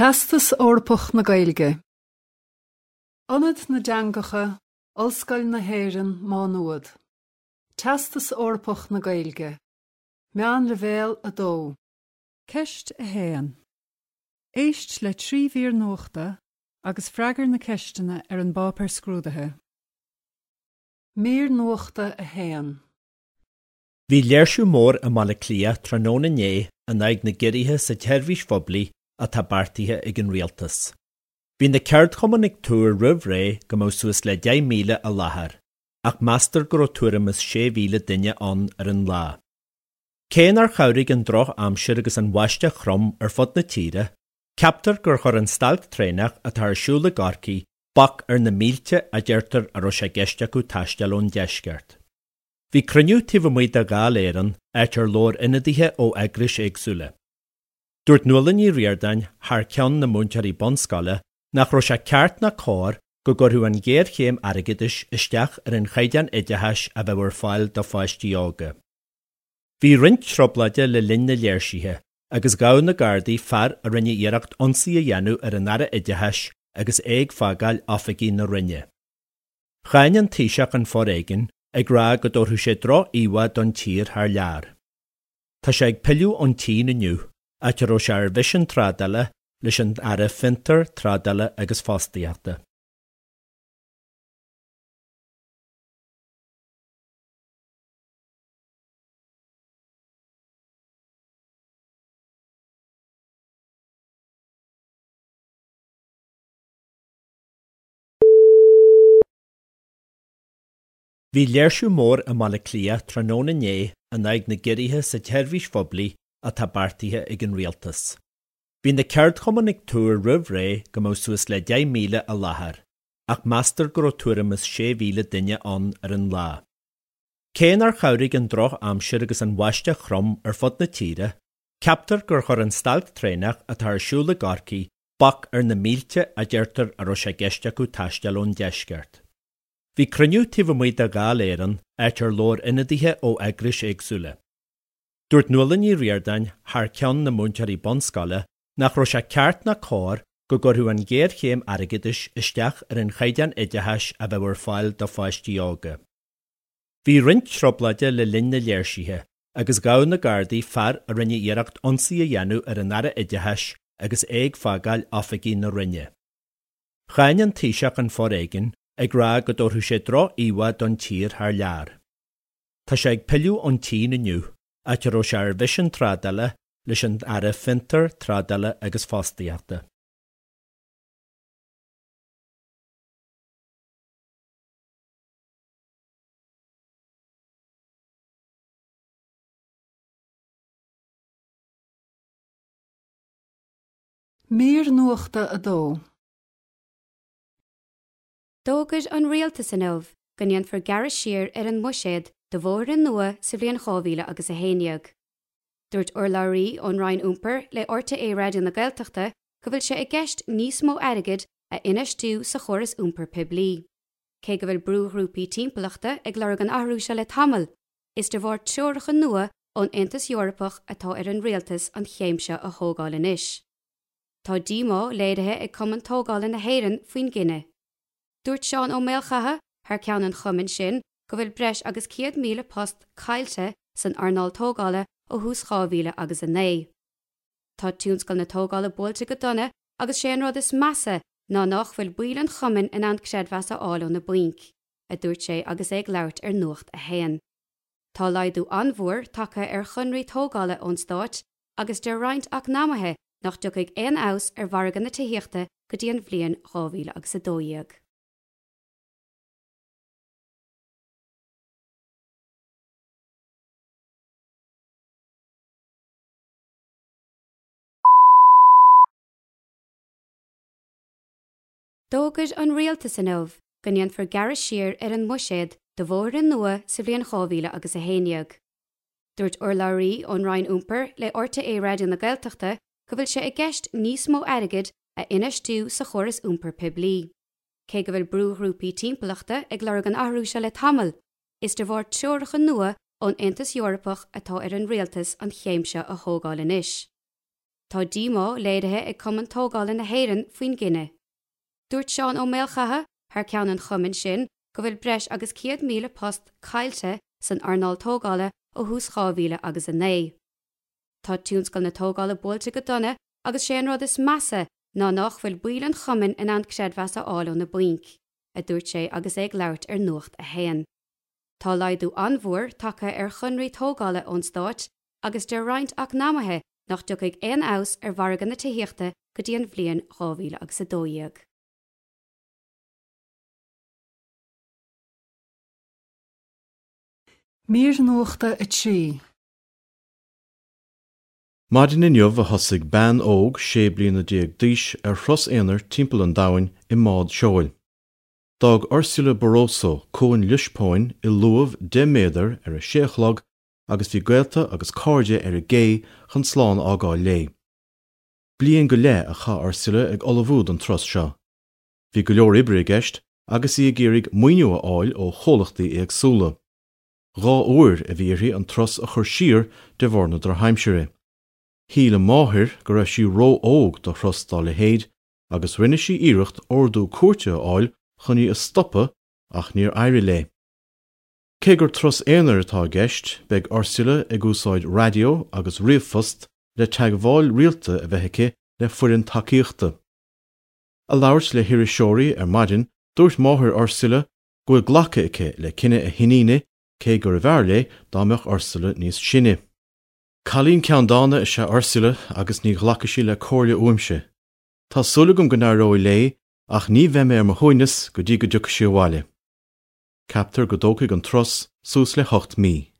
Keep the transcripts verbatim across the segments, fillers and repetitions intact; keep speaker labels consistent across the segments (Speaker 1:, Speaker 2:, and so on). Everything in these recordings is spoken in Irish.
Speaker 1: Teastas Eorpach na Gaeilge. Ionad na dTeangacha, Ollscoil na hÉireann, Má Nuad. Teastas Eorpach na Gaeilge. Meánleibhéal a dó. Ceist a haon. Éist le trí mhír nuachta agus freagair na ceisteanna ar an bpáipéar scrúdaithe. Mír nuachta a haon.
Speaker 2: Bhí léirsiú mór i mBaile Átha Cliath tráthnóna inné in aghaidh na gciorruithe sa tseirbhís phoiblí atá beartaithe ag an rialtas. Bhí na ceardchumainn ag tuar roimh ré go mbeadh suas le deich míle i láthair, ach meastar go raibh tuairim is sé mhíle duine ann ar an lá. Cé nár chabhraigh an drochaimsir agus an bháisteach throm ar fud na tíre, ceaptar gur chuir an stailc traenach atá ar siúl i gCorcaigh bac ar na mílte a deirtear a raibh sé i gceist acu taisteal ón deisceart. Bhí cruinniú taobh amuigh de Dháil Éireann, áit ar labhair ionadaithe ó eagrais éagsúla. Dúirt Nuala Ní Ríordáin, thar ceann na múinteoirí bunscoile, nach raibh sé ceart ná cóir go gcuirfeadh an ghéarchéim airgeadais isteach ar an chaighdeán oideachais a bheadh ar fáil do pháistí óga. Bhí roinnt trioblóide le linn na léirsithe agus ghabh na Gardaí fear a rinne iarracht ionsaí a dhéanamh ar an Aire Oideachais agus é ag fágáil oifigí na Roinne. Cháin an Taoiseach an foréigean, ag rá go dtabharfadh sé droch-íomhá don tír thar lear. Tá sé ag pilleadh ón tSín inniu, áit a raibh sé ar mhisean trádála leis an Aire Fiontar, Trádála agus Fostaíochta. Bhí léirsiú mór i mBaile Átha Cliath tráthnóna inné in aghaidh na gciorruithe sa tseirbhís phoiblí atá beartaithe ag an rialtas. Bhí na ceardchumainn ag tuar roimh ré go mbeadh suas le deich míle i láthair, ach meastar go raibh tuairim is sé mhíle duine ann ar an lá. Cé nár chabhraigh an drochaimsir agus an bháisteach throm ar fud na tíre, ceaptar gur chuir an stailc traenach atá ar siúl i gCorcaigh bac ar na mílte a deirtear a raibh sé i gceist acu taisteal ón deisceart. Bhí cruinniú taobh amuigh de Dháil Éireann, áit ar labhair ionadaithe ó eagrais éagsúla. Dúirt Nuala Ní Ríordáin, thar ceann na múinteoirí bunscoile, nach raibh sé ceart ná cóir go gcuirfeadh an ghéarchéim airgeadais isteach ar an chaighdeán oideachais a bheadh ar fáil do pháistí óga. Bhí roinnt trioblóide le linn na léirsithe agus ghabh na Gardaí fear a rinne iarracht ionsaí a dhéanamh ar an Aire Oideachais agus é ag fágáil oifigí na Roinne. Cháin an Taoiseach an foréigean, ag rá go dtabharfadh sé droch-íomhá don tír thar lear. Tá sé ag pilleadh ón tSín inniu, áit a raibh sé ar mhisean trádála leis an Aire Fiontar, Trádála agus Fostaíochta.
Speaker 1: Mír nuachta a dó.
Speaker 3: D'fhógair an rialtas inniu go ndéanfar gearradh siar ar an mbuiséad do bhóithre nua sa bhliain dhá mhíle agus a haon déag. Dúirt urlabhraí ón Roinn Iompair le RTÉ Raidió na Gaeltachta go bhfuil sé i gceist níos mó airgid a infheistiú sa chóras iompair poiblí. Cé go bhfuil brúghrúpaí timpeallachta ag lorg an athrú seo le tamall, is de bharr treoracha nua ón Aontas Eorpach atá ar an rialtas an chéim seo a thógáil anois. Tá díomá léirithe ag Cumann Tógála na hÉireann faoin gcinneadh. Dúirt Seán Ó Maolchatha, thar ceann an chumainn sin, go bhfuil breis agus céad míle post caillte san earnáil tógála ó thús dhá mhíle agus a naoi. Tá tionscal na tógála buailte go dona agus sé an rud is measa ná nach bhfuil baill an chumainn in ann creidmheas a fháil ó na bainc, a dúirt sé agus é ag labhairt ar Nuacht a hAon. Tá laghdú an-mhór tagtha ar chonraí tógála ón Stát agus deir roinnt eacnamaithe nach dtiocfaidh aon fheabhas ar mhargadh na tithíochta go dtí an bhliain dhá mhíle agus a dó dhéag. D'fhógair an rialtas inniu go ndéanfar gearradh siar ar an mbuiséad do bhóithre nua sa bhliain dhá mhíle agus a haon déag. Dúirt urlabhraí ón Roinn Iompair le RTÉ Raidió na Gaeltachta go bhfuil sé i gceist níos mó airgid a infheistiú sa chóras iompair poiblí. Cé go bhfuil brúghrúpaí timpeallachta ag lorg an athrú seo le tamall, is de bharr treoracha nua ón Aontas Eorpach atá ar an rialtas an chéim seo a thógáil anois. Tá díomá léirithe ag Cumann Tógála na hÉireann faoin gcinneadh. Dúirt Seán Ó Maolchatha thar ceann an chumainn sin go bhfuil breis agus céad míle post caillte san earnáil tógála ó thús dhá mhíle agus a naoi. Tá tionscal na tógála buailte go dona agus sé an rud is measa ná nach bhfuil baill an chumainn in ann creidmheas a fháil ó na bainc, a dúirt sé agus é ag labhairt ar Nuacht a hAon. Tá laghdú an-mhór tagtha ar chonraí tógála ón stát agus deir roinnt eacnamaithe nach dtiocfaidh aon fheabhas ar mhargadh na tithíochta go dtí an bhliain dhá mhíle agus a dó dhéag.
Speaker 1: Mír Nuachta a trí.
Speaker 4: Maidin inniu a thosaigh bean óg sé bliana déag d'aois ar thuras aonair timpeall an domhain i mbád seoil. D'fhág Ursula Barroso cuan Liospóin i luamh deich méadar ar a sé a chlog agus bhí gaolta agus cairde ar an gcé chun slán a fhágáil léi. Bliain go leith a chaith Ursula ag ullmhú don turas seo. Bhí go leor oibre i gceist agus í ag iarraidh maoiniú a fháil ó chomhlachtaí éagsúla. Dhá uair a bhí uirthi an turas a chur siar de bharr na drochaimsire. Shíl a máthair go raibh sí ró-óg do thuras dá leithéid agus rinne sí iarracht ordú cúirte a fháil chun í a stopadh ach níor éirigh léi. Cé gur turas aonair atá i gceist, beidh Ursula ag úsáid raidió agus ríomhphost le teagmháil rialta a bheith aici le foireann tacaíochta. Ag labhairt le hiriseoirí ar maidin, dúirt máthair Ursula go bhfuil glactha aici le cinneadh a hiníne cé gurbh fhearr léi dá mbeadh Ursula níos sine. Cailín ceanndána is ea Ursula agus ní ghlacfaidh sí le comhairle uaimse. Tá súil agam go n-éireoidh léi ach ní bheidh mé ar mo shuaimhneas go dtí go dtiocfaidh sí abhaile. Ceaptar go dtógfaidh an turas suas le hocht mí.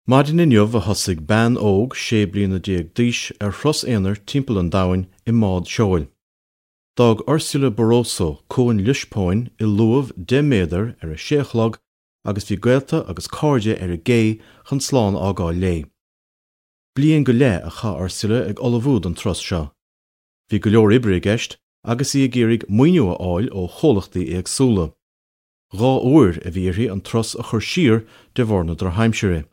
Speaker 4: Maidin inniu a thosaigh bean óg sé bliana déag d'aois ar thuras aonair timpeall an domhain i mbád seoil. D'fhág Ursula Barroso cuan Liospóin i luamh deich méadar ar a sé a chlog agus bhí gaolta agus cairde ar an gcé chun slán a fhágáil léi. Bliain go leith a chaith Ursula ag ullmhú don turas seo. Bhí go leor oibre i gceist agus í ag iarraidh maoiniú a fháil ó chomhlachtaí éagsúla. Dhá uair a bhí uirthi an turas a chur siar de bharr na drochaimsire.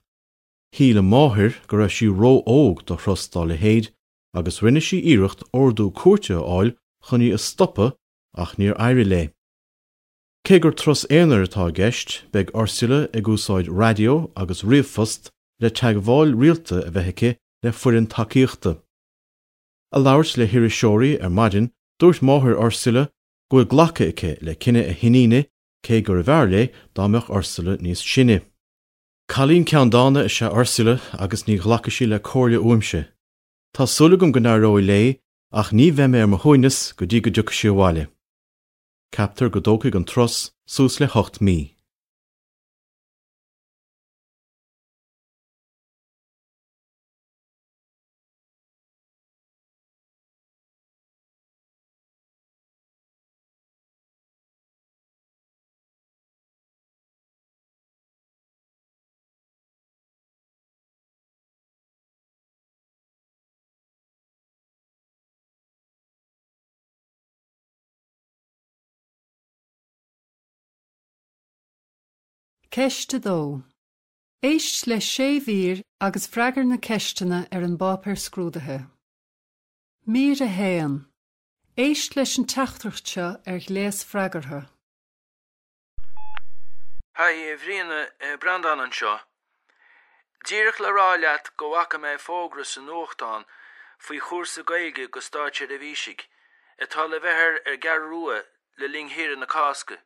Speaker 4: Shíl a máthair go raibh sí ró-óg do thuras dá leithéid agus rinne sí iarracht ordú cúirte a fháil chun í a stopadh ach níor éirigh léi. Cé gur turas aonair atá i gceist, beidh Ursula ag úsáid raidió agus ríomhphost le teagmháil rialta a bheith aici le foireann tacaíochta. Ag labhairt le hiriseoirí ar maidin, dúirt máthair Ursula go bhfuil glactha aici le cinneadh a hiníne cé gurbh fhearr léi dá mbeadh Ursula níos sine. Cailín ceanndána is ea Ursula agus ní ghlacfaidh sí le comhairle uaimse. Tá súil agam go n-éireoidh léi ach ní bheidh mé ar mo shuaimhneas go dtí go dtiocfaidh sí abhaile. Ceaptar go dtógfaidh an turas suas le hocht mí.
Speaker 1: Ceist a dó. Éist le sé mhír agus freagair na ceisteanna ar an bpáipéar scrúdaithe. Mír a haon. Éist leis an teachtaireacht seo ar ghléas freagartha.
Speaker 5: Haigh, a Bhriana, Breandán anseo. Díreach le rá leat go bhfaca mé fógra sa nuachtán faoi chúrsa Gaeilge go státseirbhísigh atá le bheith ar ar an gCeathrú Rua le linn shaoire na Cásca.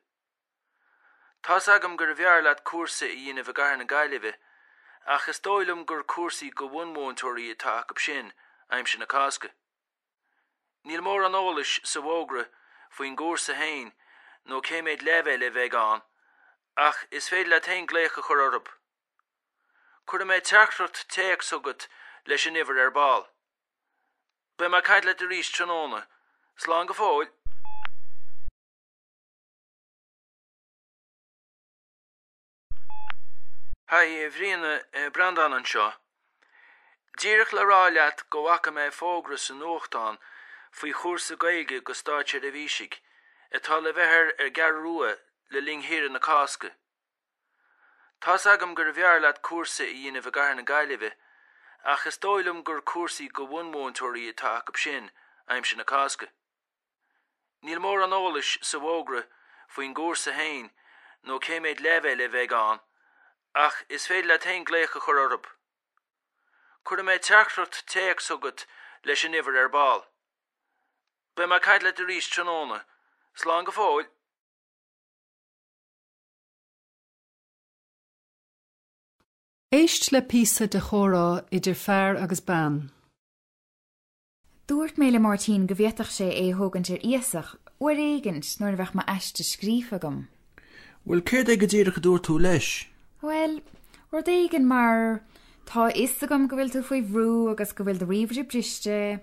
Speaker 5: Tá's agam gurbh fhearr leat cúrsa a dhéanamh i gcathair na Gaillimhe, ach is dóigh liom gur cúrsaí go bhunmhúinteoirí atá acu sin aimsir na Cásca. Níl mórán eolais sa bhfógra faoin gcúrsa féin nó cé mhéad leibhéal a bheidh ann, ach is féidir leat féin glaoch a chur orthu. Cuirfidh mé teachtaireacht téacs chugat leis an uimhir ar ball. Beidh mé ag caint leat arís tráthnóna. Slán go fóill! Haigh, a Bhriana, Breandán anseo. Díreach le rá leat go bhfaca mé fógra sa nuachtán faoi chúrsa Gaeilge go státseirbhísigh atá le bheith ar ar an gCeathrú Rua le linn shaoire na Cásca. Tá's agam gurbh fhearr leat cúrsa a dhéanamh i gcathair na Gaillimhe, ach is dóigh liom gur cúrsaí go bhunmhúinteoirí atá acu sin aimsir na Cásca. Níl mórán eolais sa bhfógra faoin gcúrsa féin nó cé méid leibhéal a bheidh ann, ach is féidir leat féin glaoch a chur orthu. Cuirfidh mé teachtaireacht téacs chugat leis an uimhir ar ball. Beidh mé ag caint leat arís tráthnóna. Slán go fóill.
Speaker 1: Éist le píosa de chomhrá idir fear agus bean.
Speaker 6: Dúirt mé le Máirtín go bhféadfadh sé é a thógaint ar iasacht uair éigint nuair a bheadh m'aiste scríofa agam.
Speaker 5: Bhuel, céard é go díreach a dúirt tú leis?
Speaker 6: Bhuel, rud éigin mar, tá a fhios agam go bhfuil tú faoi bhrú agus go bhfuil do ríomhaire briste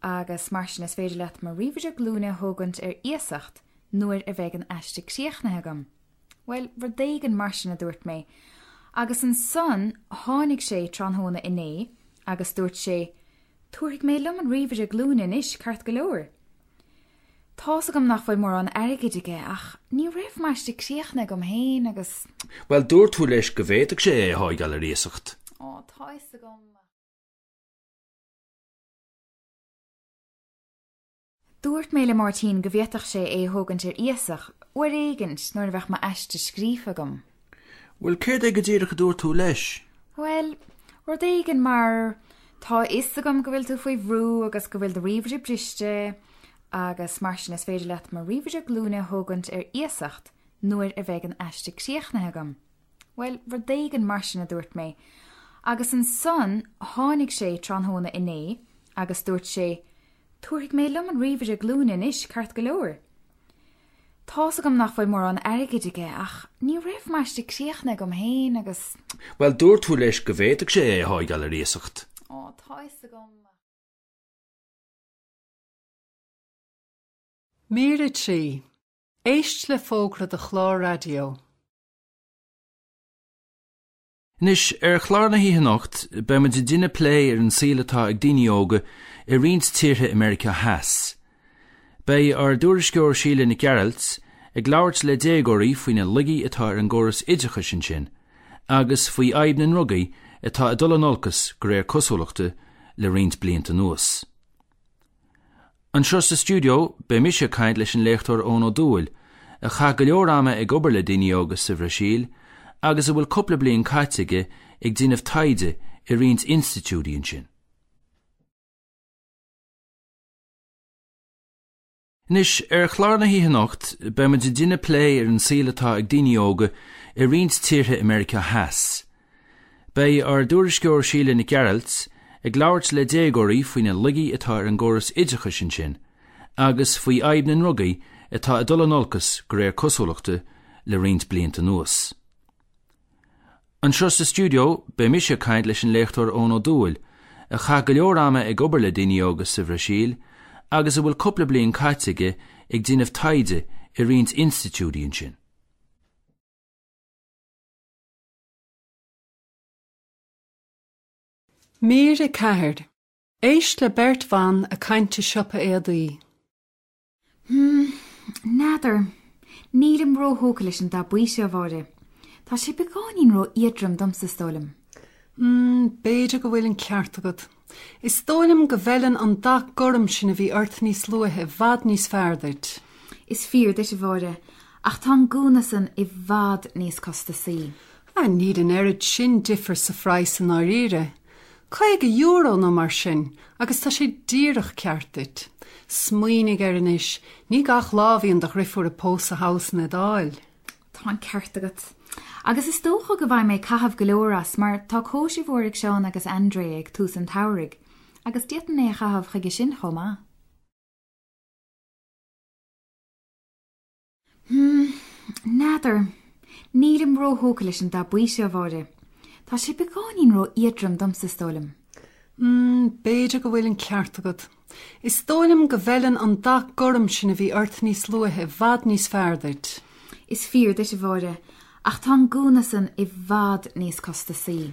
Speaker 6: agus mar sin is féidir leat mo ríomhaire glúine a thógaint ar iasacht nuair a bheidh an aiste críochnaithe agam. Bhuel, rud éigin mar sin a dúirt mé. Agus ansan tháinig sé tráthnóna inné agus dúirt sé, 'Tabharfaidh mé liom an ríomhaire glúine anois, ceart go leor. Tá's agam nach bhfuil mórán airgid aige ach ní raibh m'aiste críochnaithe agam féin agus.
Speaker 5: Bhuel, dúirt tú leis go bhféadfadh sé é a thógáil ar iasacht.
Speaker 6: Ó, tá a fhios agam. Dúirt mé le Máirtín go bhféadfadh sé é a thógaint ar iasacht uair éigint nuair a bheadh m'aiste scríofa agam.
Speaker 5: Bhuel, céard é go díreach a dúirt tú leis?
Speaker 6: Bhuel, rud éigin mar, tá a fhios agam go bhfuil tú faoi bhrú agus go bhfuil do ríomhaire briste agus mar sin is féidir leat mo ríomhaire glúine a thógaint ar iasacht nuair a bheidh an aiste críochnaithe agam. Bhuel, rud éigin mar sin a dúirt mé. Agus ansan tháinig sé tráthnóna inné agus dúirt sé, 'Tabharfaidh mé liom an ríomhaire glúine anois, ceart go leor. Tá's agam nach bhfuil mórán airgid aige ach ní raibh m'aiste críochnaithe agam féin agus.
Speaker 5: Bhuel, dúirt tú leis go bhféadfadh sé é a thógáil ar iasacht.
Speaker 6: Ó, tá a fhios agam.
Speaker 1: Mír a trí. Éist le fógra do chlár raidió.
Speaker 5: Anois, ar chlár na hoíche anocht, beidh muid ag déanamh plé ar an saol atá ag daoine óga i roinnt tíortha i Meiriceá Theas. Beidh ár dtuairisceoir Síle Nic Gearailt ag labhairt le déagóirí faoi na laigí atá ar an gcóras oideachais ansin agus faoi fhadhb na ndrugaí atá ag dul in olcas de réir cosúlachta le roinnt blianta anuas. Anseo sa stiúideo, beidh mise ag caint leis an léachtóir Eoin Ó Dubhghaill, a chaith go leor ama ag obair le daoine óga sa Bhrasaíl agus a bhfuil cúpla bliain caite aige ag déanamh taighde i roinnt institiúidí ansin. Anois, ar chlár na hoíche anocht, beidh muid ag déanamh plé ar an saol atá ag daoine óga i roinnt tíortha i Meiriceá Theas. Beidh ár dtuairisceoir Síle Nic Gearailt ag labhairt le déagóirí faoi na laigí atá ar an gcóras oideachais ansin agus faoi fhadhb na ndrugaí atá ag dul in olcas de réir cosúlachta le roinnt blianta anuas. Anseo sa stiúideo, beidh mise ag caint leis an léachtóir Eoin Ó Dubhghaill, a chaith go leor ama ag obair le daoine óga sa Bhrasaíl agus a bhfuil cúpla bliain caite aige ag déanamh taighde i roinnt institiúidí ansin.
Speaker 1: Mír a ceathair. Éist le beirt bhan ag caint i siopa éadaí.
Speaker 6: Hmm, n'fheadar. Nílim róthógtha leis an dath buí seo, a Mháire. Tá sé beagáinín ró-éadrom domsa, is dóigh liom.
Speaker 1: Hmm, b'fhéidir go bhfuil an ceart agat. Is dóigh liom go bhfeileann an dath gorm sin a bhí ort níos luaithe i bhfad níos fearr duit.
Speaker 6: Is fíor duit, a Mháire, ach tá an gúna san i bhfad níos costasaí.
Speaker 1: Ah, níl an oiread sin difir sa phraghas i ndáiríre. Caoga euro nó mar sin, agus tá sé díreach ceart duit. Smaoinigh air anois, ní gach lá a bhíonn do dhriofúr ag pósadh thall san Iodáil.
Speaker 6: Tá an ceart agat. Agus is dócha go bhfaighidh mé caitheamh go leor as mar tá cóisir mhór ag Seán agus Andrea ag tús an tsamhraidh, agus d'fhéadfainn é a chaitheamh chuige sin chomh maith. Hmm, n'fheadar. Nílim róthógtha leis an dath buí seo, a Mháire. Tá sé beagáinín ró-éadrom domsa, is dóigh liom.
Speaker 1: Hmm, b'fhéidir go bhfuil an ceart agat. Is dóigh liom go bhfeileann an dath gorm sin a bhí ort níos luaithe i bhfad níos fearr duit.
Speaker 6: Is fíor duit, a Mháire, ach tá an gúna san i bhfad níos costasaí.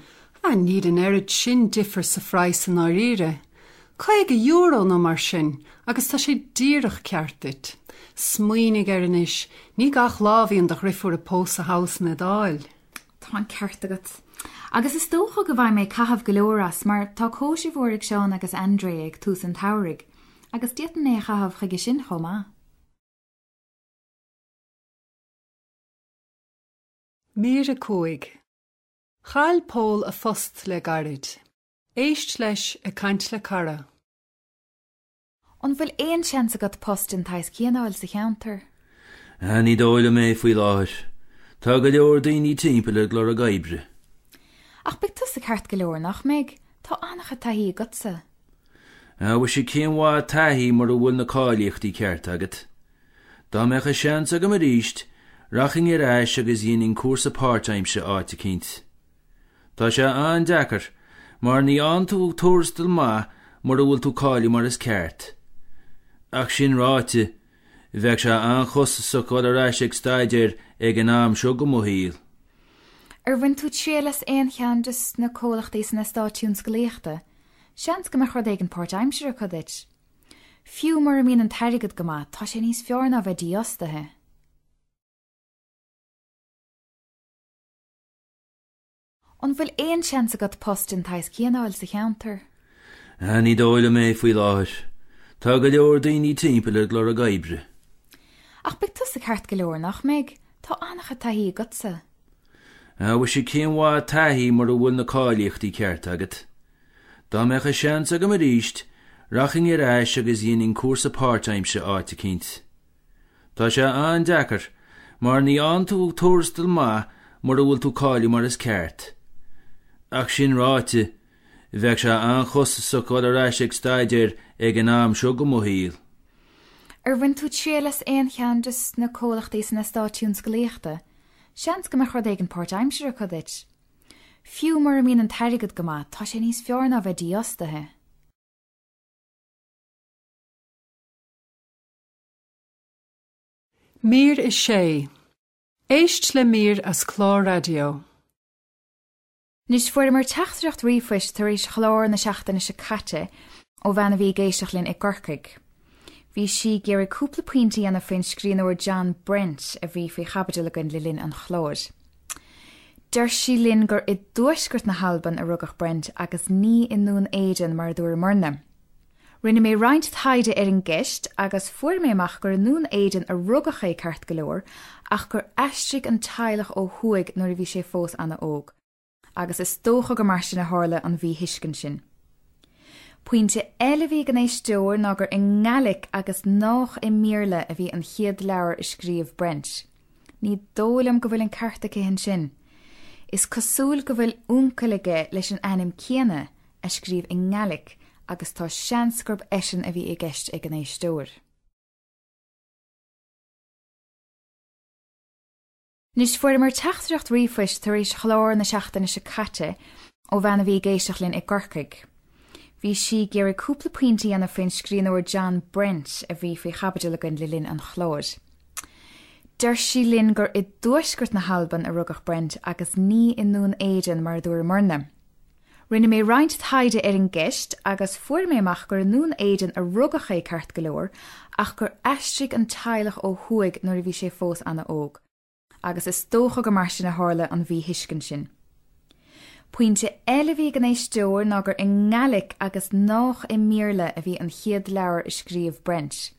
Speaker 1: Ah, níl an oiread sin difir sa phraghas i ndáiríre. Caoga euro nó mar sin, agus tá sé díreach ceart duit. Smaoinigh air anois, ní gach lá a bhíonn do dheirfiúr ag pósadh thall san Iodáil.
Speaker 6: Tá an ceart agat. Agus is dócha go bhfaighidh mé caitheamh go leor as mar tá cóisir mhór ag Seán agus André ag tús an tsamhraidh, agus d'fhéadfainn é a chaitheamh chuige sin chomh maith.
Speaker 1: Mír a cúig. Chaill Pól a phost le gairid. Éist leis ag caint le cara.
Speaker 6: An bhfuil aon seans agat post den tsaghas céanna a fháil sa cheantar?
Speaker 5: Ah, ní dóigh liom é faoi láthair. Tá go leor daoine timpeall ag lorg oibre.
Speaker 6: Ach beidh tusa ceart go leor, nach mbeidh? Tá an-chuid taithí agatsa.
Speaker 5: Ah, mhuise cén mhaith taithí mura bhfuil na cáilíochtaí ceart agat. Dá mbeadh an seans agam arís, rachainn ar ais agus dhéanfainn cúrsa páirtaimseartha áit eicínt. Tá sé an-deacair, mar ní fhaigheann tú tuarastal maith mura bhfuil tú cáilithe mar is ceart. Ach sin ráite, bheadh sé an-chostasach dul ar ais ag staidéar ag an am seo de mo shaol.
Speaker 6: Ar bhain tú triail as aon cheann de na comhlachtaí san eastát tionsclaíochta? Seans go mbeadh rud éigin páirtaimseartha acu duit. Fiú mura mbíonn an t-airgead go maith, tá sé níos fearr ná bheith dífhostaithe. An bhfuil aon seans agat post den tsaghas céanna a fháil sa cheantar?
Speaker 5: Ah, ní dóigh liom é faoi láthair. Tá go leor daoine timpeall ag lorg oibre.
Speaker 6: Ach beidh tusa ceart go leor, nach mbeidh? Tá an-chuid taithí agatsa.
Speaker 5: Ah, mhuise cén mhaith taithí mura bhfuil na cáilíochtaí ceart agat. Dá mbeadh an seans agam arís, rachainn ar ais agus dhéanfainn cúrsa páirtaimseartha áit eicínt. Tá sé an-deacair, mar ní fhaigheann tú tuarastal maith mura bhfuil tú cáilithe mar is ceart. Ach sin ráite, bheadh sé an-chostasach dul ar ais ag staidéar ag an am seo de mo shaol.
Speaker 6: Ar bhain tú triail as aon cheann de na comhlachtaí san eastát tionsclaíochta? Seans go mbeadh rud éigin páirtaimseartha acu duit. Fiú mura mbíonn an t-airgead go maith, tá sé níos fearr ná bheith dífhostaithe.
Speaker 1: Mír a sé. Éist le mír as clár raidió.
Speaker 6: Anois fuaireamar teachtaireacht ríomhphoist tar éis chlár na seachtaine seo caite ó bhean a bhí ag éisteacht linn i gCorcaigh. Bhí sí ag iarraidh cúpla pointe a dhéanamh faoin scríbhneoir John Brent a bhí faoi chaibidil againn le linn an chláir. Deir sí linn gur i dtuaisceart na hAlban a rugadh Brent agus ní i nDún Éideann mar a dúramarna. Rinne mé roinnt taighde ar an gceist agus fuair mé amach gur i nDún Éideann a rugadh é ceart go leor ach gur aistrigh an teaghlach ó thuaidh nuair a bhí sé fós an-óg. agus is dócha gur mar sin a tharla an mhíthuiscint sin. Pointe eile a bhí ag an éisteoir ná gur i nGaelic agus nach i mBéarla a bhí an chéad leabhar a scríobh Brent. Ní dóigh liom go bhfuil an ceart aici ansin. Is cosúil go bhfuil uncail aige leis an ainm céanna a scríobh i nGaelic agus tá seans gurb eisean a bhí i gceist ag an éisteoir. Anois fuaireamar teachtaireacht ríomhphoist tar éis chlár na seachtaine seo caite ó bhean a bhí ag éisteacht linn i gCorcaigh. Bhí sí ag iarraidh cúpla pointe a dhéanamh faoin scríbhneoir John Brent a bhí faoi chaibidil againn le linn an chláir. Deir sí linn gur i dtuaisceart na hAlban a rugadh Brent agus ní i nDún Éideann mar a dúramarna. Rinne mé roinnt taighde ar an gceist agus fuair mé amach gur i nDún Éideann a rugadh é ceart go leor ach gur aistrigh an teaghlach ó thuaidh nuair a bhí sé fós an-óg. agus is dócha gur mar sin a tharla an mhíthuiscint sin. Pointe eile a bhí ag an éisteoir ná gur i nGaelic agus nach i mBéarla a bhí an chéad leabhar a scríobh Brent.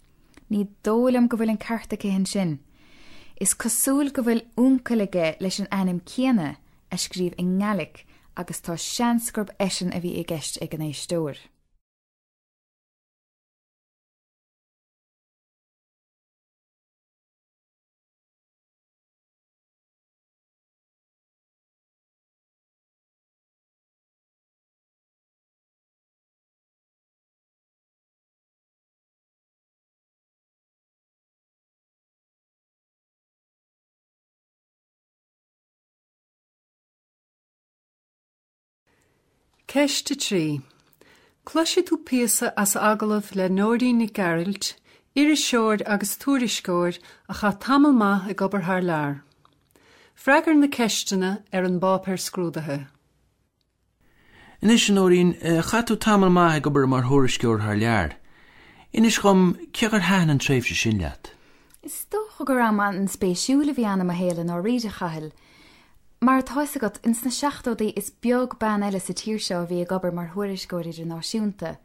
Speaker 6: Ní dóigh liom go bhfuil an ceart aici ansin. Is cosúil go bhfuil uncail aige leis an ainm céanna a scríobh i nGaelic agus tá seans gurb eisean a bhí i gceist ag an éisteoir.
Speaker 1: Ceist a trí. Cloisfidh tú píosa as agallamh le Nóirín Nic Gearailt, iriseoir agus tuairisceoir a chaith tamall maith ag obair thar lear. Freagair na ceisteanna ar an bpáipéar scrúdaithe.
Speaker 5: Anois, a Nóirín, chaith tú tamall maith ag obair mar thuairisceoir thar lear. Inis dhom cé gur thaitin an tréimhse sin leat.
Speaker 6: Is dócha gur am an-spéisiúil a bhí ann i mo shaol i ndáiríre, a Chathail. Mar atá fhios agat, ins na seachtóidí is beag bean eile sa tír seo a bhí ag obair mar thuairisceoir idirnáisiúnta.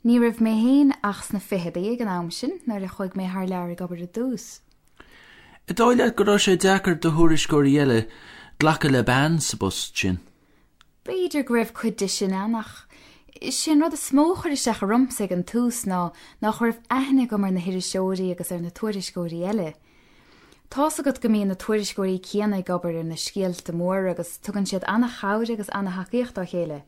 Speaker 6: Ní raibh mé féin ach sna fichidí ag an am sin nuair a chuaigh mé thar lear ag obair i dtús.
Speaker 5: An dóigh leat go raibh sé deacair do thuairisceoirí eile glacadh le bean sa bpost sin?
Speaker 6: B'fhéidir go raibh cuid de sin ann ach is é an rud is mó a chuir isteach ormsa ag an tús ná nach raibh aithne agam ar na hiriseoirí agus ar na tuairisceoirí eile. Tá's agat go mbíonn na tuairisceoirí céanna ag obair ar na scéalta móra agus tugann siad an-chabhair agus an-thacaíocht dá chéile.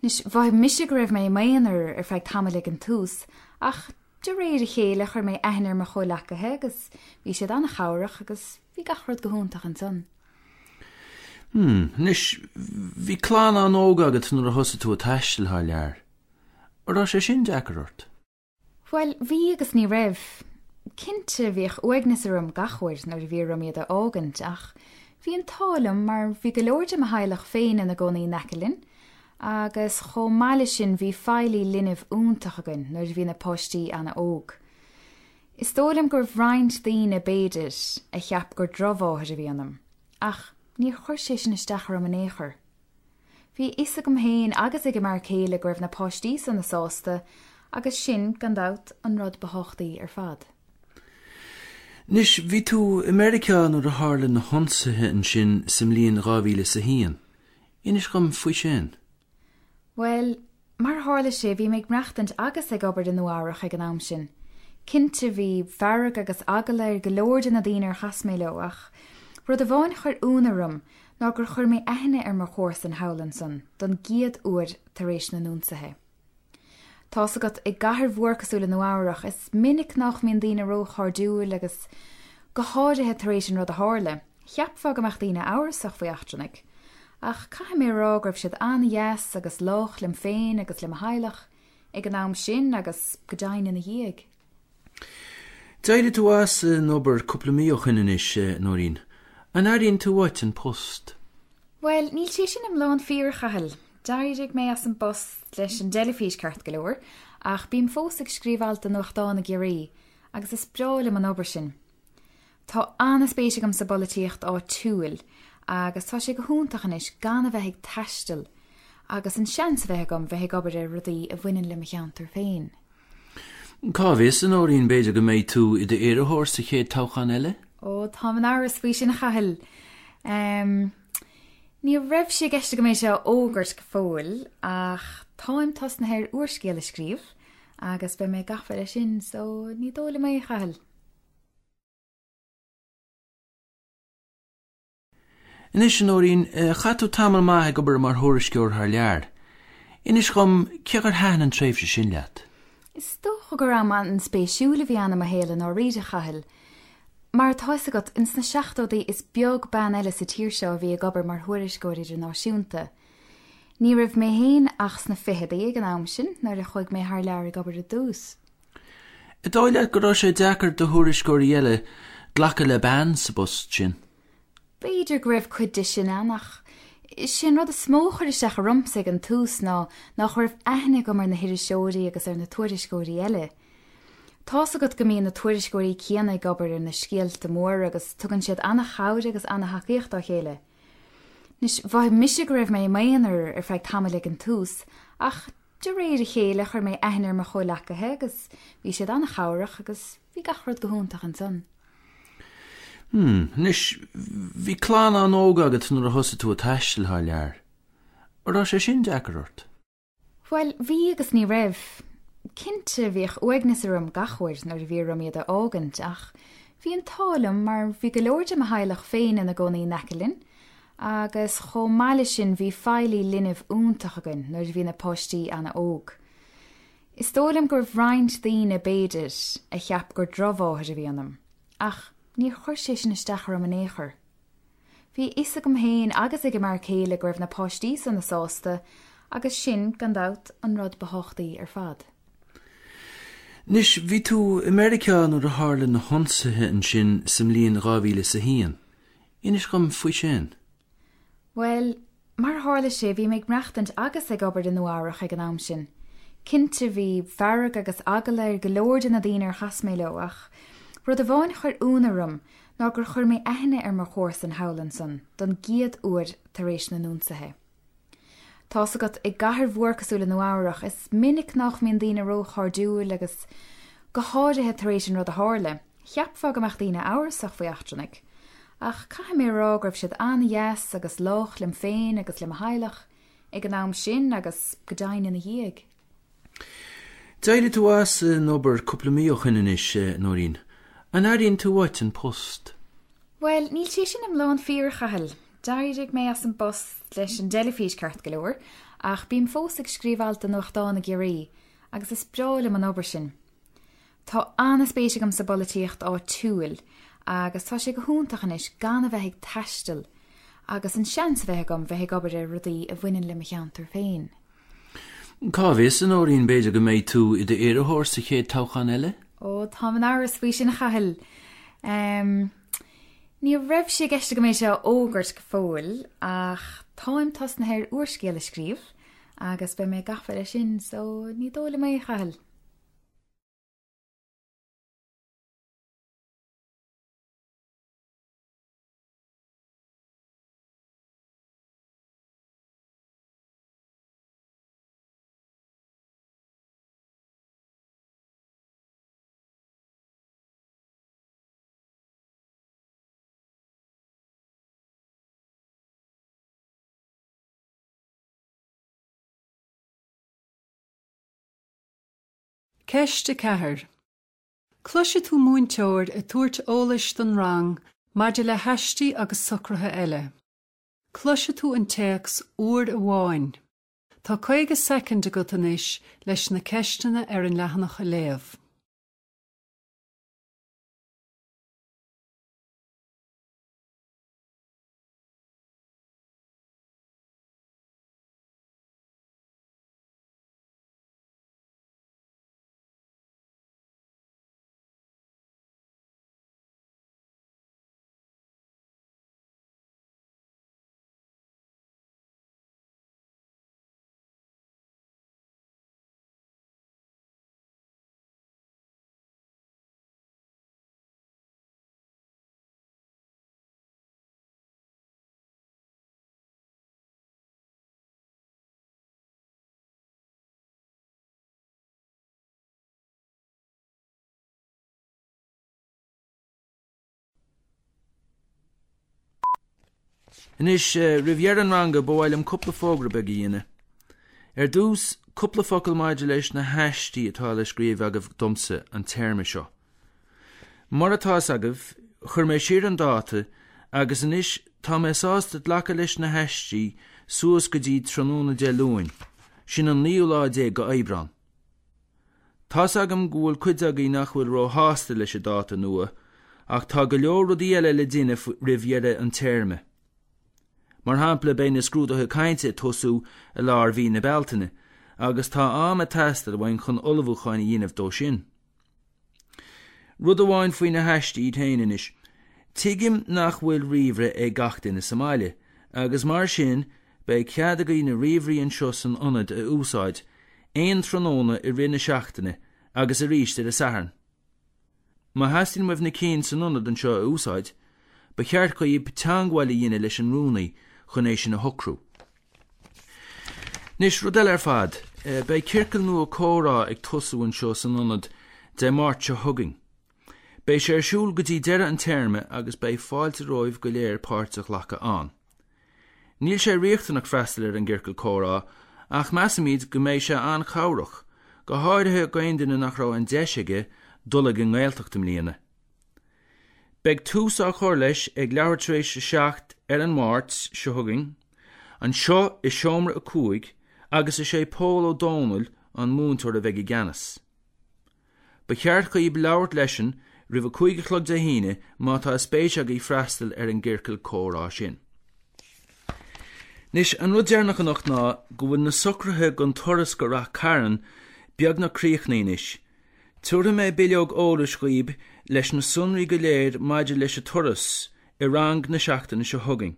Speaker 6: Anois, mhothaigh mise go raibh mé i m'aonar ar feadh tamaill ag an tús ach de réir a chéile chuir mé aithne ar mo chomhleacaithe agus bhí siad an-chabhrach agus bhí gach rud go hiontach ansan.
Speaker 5: Hmm, anois, bhí clann an-óg agat nuair a thosaigh tú ag taisteal thar lear. An raibh sé sin deacair ort?
Speaker 6: Bhuel, bhí agus ní raibh. Cinnte bhíodh uaigneas orm gach uair nuair a bhí orm iad a fhágaint ach bhí an t-ádh liom mar bhí go leor de mo theaghlach féin ina gcónaí in aice linn agus chomh maith leis sin bhí feighlí linbh iontach againn nuair a bhí na páistí an-óg. Is dóigh liom go raibh roinnt daoine b'fhéidir a cheap gur drochmháthair a bhí ionam, ach níor chuir sé sin isteach orm in aon chor. Bhí a fhios agam féin agus ag an m'fhear céile go raibh na páistí sona sásta agus sin, gan dabht, an rud ba thábhachtaí ar fad.
Speaker 5: Anois, bhí tú i Meiriceá nuair a tharla na hionsaithe ansin sa mbliain dhá mhíle is a haon. Inis dhom faoi sin.
Speaker 6: Bhuel, mar a tharla sé, bhí mé ag maireachtaint agus ag obair i Nua Eabhrac ag an am sin. Cinnte, bhí fearg agus eagla ar go leor de na daoine ar chas mé leo, ach rud amháin a chuir ionadh orm ná gur chuir mé aithne ar mo chomharsan thall ansan don gcéad uair tar éis na n-ionsaithe. Tá's agat, i gcathair mhór cosúil le Nua Eabhrac, is minic nach mbíonn daoine róchairdiúil agus, go háirithe tar éis an rud a tharla, cheapfá go mbeadh daoine amhrasach faoi eachtrannaigh. Ach caithfidh mé a rá go raibh siad an-dheas agus lách liom féin agus le mo theaghlach ag an am sin agus go deimhin ina dhiaidh.
Speaker 5: D'éirigh tú as an obair cúpla mí ó shin anois, a Nóirín. An airíonn tú uait an post?
Speaker 6: Bhuel, níl sé sin iomlán fíor, a Chathail. D'éirigh mé as an bpost leis an dteilifís ceart go leor, ach bím fós ag scríobh alt do nuachtán i gCiarraí, agus is breá liom an obair sin. Tá an-spéis agam sa bpolaitíocht áitiúil, agus tá sé go hiontach anois gan a bheith ag taisteal, agus an seans a bheith agam bheith ag obair ar rudaí a bhaineann le mo cheantar féin.
Speaker 5: Cá bhfios, a Nóirín, b'fhéidir go mbeidh tú i d'iarrthóir sa chéad toghchán eile?
Speaker 6: Ó, táim in amhras faoi sin, a Chathail. Em, ní raibh sé i gceist agam é seo a fhógairt go fóill, ach táim tosnaithe ar úrscéal a scríobh agus beidh mé gafa leis sin, so ní dóigh liom é, a Chathail.
Speaker 5: Anois, a Nóirín, chaith tú tamall maith ag obair mar thuairisceoir thar lear. Inis dhom cé gur thaitin an tréimhse sin leat.
Speaker 6: Is dócha gur am an-spéisiúil a bhí ann i mo shaol i ndáiríre, a Chathail. Mar atá fhios agat, ins na seachtóidí is beag bean eile sa tír seo a bhí ag obair mar thuairisceoir idirnáisiúnta. Ní raibh mé féin ach sna fichidí ag an am sin nuair a chuaigh mé thar lear ag obair i dtús.
Speaker 5: An dóigh leat go raibh sé deacair do thuairisceoirí eile glacadh le bean sa bpost sin?
Speaker 6: B'fhéidir go raibh cuid de sin ann ach is é an rud is mó a chuir isteach ormsa ag an tús ná nach raibh aithne agam ar na hiriseoirí agus ar na tuairisceoirí eile. Tá's agat go mbíonn na tuairisceoirí céanna ag obair ar na scéalta móra agus tugann siad an-chabhair agus an-thacaíocht dá chéile. Anois, mhothaigh mise go raibh mé i m'aonar ar feadh tamaill ag an tús ach de réir a chéile chuir mé aithne ar mo chomhleacaithe agus bhí siad an-chabhrach agus bhí gach rud go hiontach ansan.
Speaker 5: Hmm, anois, bhí clann an-óg agat nuair a thosaigh tú ag taisteal thar lear. An raibh sé sin deacair ort?
Speaker 6: Bhuel, bhí agus ní raibh. Cinnte, bhíodh uaigneas orm gach uair nuair a bhí orm iad a fhágaint, ach bhí an t-ádh liom mar bhí go leor de mo theaghlach féin ina gcónaí in aice linn, agus chomh maith leis sin bhí feighlí linbh iontach againn nuair a bhí na páistí an-óg. Is dóigh liom go raibh roinnt daoine, b'fhéidir, a cheap gur drochmháthair a bhí ionam, ach níor chuir sé sin isteach orm in aon chor. Bhí a fhios agam féin agus ag an m'fhear céile go raibh na páistí sona sásta agus sin, gan dabht, an rud ba thábhachtaí ar fad.
Speaker 5: Anois, bhí tú i Meiriceá nuair a tharla na hionsaithe ansin sa mbliain dhá mhíle is a haon. Inis dhom faoi sin.
Speaker 6: Bhuel, Mar a tharla sé, bhí mé ag maireachtaint agus ag obair i Nua Eabhrac ag an am sin. Cinnte bhí fearg agus eagla ar go leor de na daoine ar chas mé leo ach rud amháin a chuir ionadh orm ná gur chuir mé aithne ar mo chomharsan thall ansan don gcéad uair tar éis na n-ionsaithe. Tá's agat i gcathair mhór cosúil le Nua Eabhrac, is minic nach mbíonn daoine róchairdiúil agus go háirithe tar éis an rud a tharla, cheapfá go mbeadh daoine amhrasach faoi eachtrannaigh. Ach caithfidh mé a rá go raibh siad an-deas agus lách liom féin agus le mo theaghlach ag an am sin agus go deimhin ina dhiaidh.
Speaker 5: D'éirigh tú as an obair cúpla mí ó shin anois, a Nóirín. An airíonn tú uait an post?
Speaker 6: Bhuel, níl sé sin iomlán fíor, a Chathail. D'éirigh mé as an bpost leis an dteilifís ceart go leor, ach bím fós ag scríobh alt do nuachtán i gCiarraí, agus is breá liom an obair sin. Tá an-spéis agam sa bpolaitíocht áitiúil agus tá sé go hiontach anois gan a bheith ag taisteal agus an seans a bheith agam bheith ag obair ar rudaí a bhaineann le mo cheantar féin.
Speaker 5: Cá bhfios, a Nóirín, b'fhéidir go mbeidh tú i d'iarrthóir sa chéad toghchán eile?
Speaker 6: Ó, táim in amhras faoi sin, a Chathail. Em, ní raibh sé i gceist agam é seo a fhógairt go fóill ach táim tosnaithe ar úrscéal a scríobh agus beidh mé gafa leis sin, so ní dóigh liom é, a Chathail.
Speaker 1: Ceist a ceathair. Cloisfidh tú múinteoir ag tabhairt eolais don rang maidir le haistí agus socruithe eile. Cloisfidh tú an téacs uair amháin. Tá caoga soicind agat anois leis na ceisteanna ar an leathanach a léamh.
Speaker 5: Anois, roimh dheireadh an ranga, ba mhaith liom cúpla fógra beag a dhéanamh. Ar dtús, cúpla focal maidir leis na haistí atá le scríobh agaibh domsa an téarma seo. Mar atá a fhios agaibh, chuir mé siar an dáta agus anois tá mé sásta glacadh leis na haistí suas go dtí tráthnóna Dé Luain, sin an naoú lá déag go Aibreán. Tá's agam go bhfuil cuid agaibh nach bhfuil róshásta leis an dáta nua, ach tá go leor rudaí eile le déanamh roimh dheireadh an téarma. Mar shampla, beidh na scrúduithe cainte ag tosú i lár mhí na Bealtaine, agus tá am ag teastáil uainn chun ullmhúcháin a dhéanamh dó sin. Rud amháin faoi na haistí iad féin anois. Tuigim nach bhfuil ríomhaire ag gach duine sa mbaile, agus mar sin beidh cead agaibh na ríomhairí anseo san ionad a úsáid aon tráthnóna i rith na seachtaine agus arís ar an Satharn. Má theastaíonn uaibh na cinn san ionad anseo a úsáid, ba cheart dhaoibh teagmháil a dhéanamh leis an rúnaí chun é sin a shocrú. Anois, rud eile ar fad, beidh ciorcal nua comhrá ag tosú anseo san ionad Dé Máirt seo chugainn. Beidh sé ar siúl go dtí deireadh an téarma agus beidh fáilte romhaibh go léir páirt a ghlacadh ann. Níl sé riachtanach freastal ar an gciorcal comhrá ach measaimid go mbeidh sé an-chabhrach, go háirithe d'aon duine nach raibh an deis aige dul ag an nGaeltacht i mbliana. Beidh tús á chur leis ag leathuair tar éis a seacht ar an Máirt seo chugainn, anseo i seomra a cúig agus is é Pól Ó Dónaill an múinteoir a bheidh i gceannas. Ba cheart dhaoibh labhairt leisean roimh a cúig a chlog Dé hAoine má tá spéis agaibh freastal ar an gciorcal comhrá sin. Anois, an rud deireanach anocht ná go bhfuil na socruithe don turas go Rath Cairn beagnach críochnaithe anois. Tabharfaidh mé bileog eolais dhaoibh leis na sonraí go léir maidir leis an turas i rang na seachtaine seo chugainn.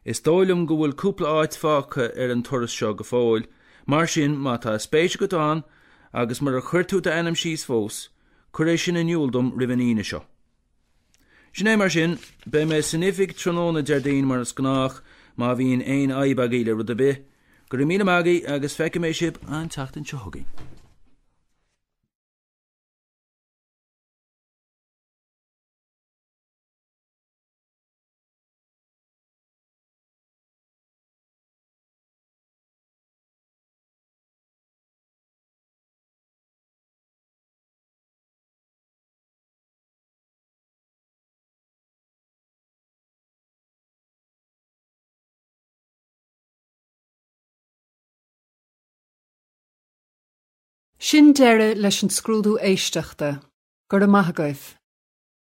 Speaker 5: Is dóigh liom go bhfuil cúpla áit fágtha ar an turas seo go fóill, mar sin má tá spéis agat ann agus murar chuir tú d'ainm síos fós, cuir é sin in iúl dom roimh an Aoine seo. Sin é mar sin, beidh mé san oifig tráthnóna Déardaoin mar is gnách má bhíonn aon fhadhb agaibh le rud ar bith, go raibh míle maith agaibh agus feicfidh mé sibh an tseachtain seo chugainn.
Speaker 1: Sin deireadh leis an scrúdú éisteachta, Go raibh maith agaibh.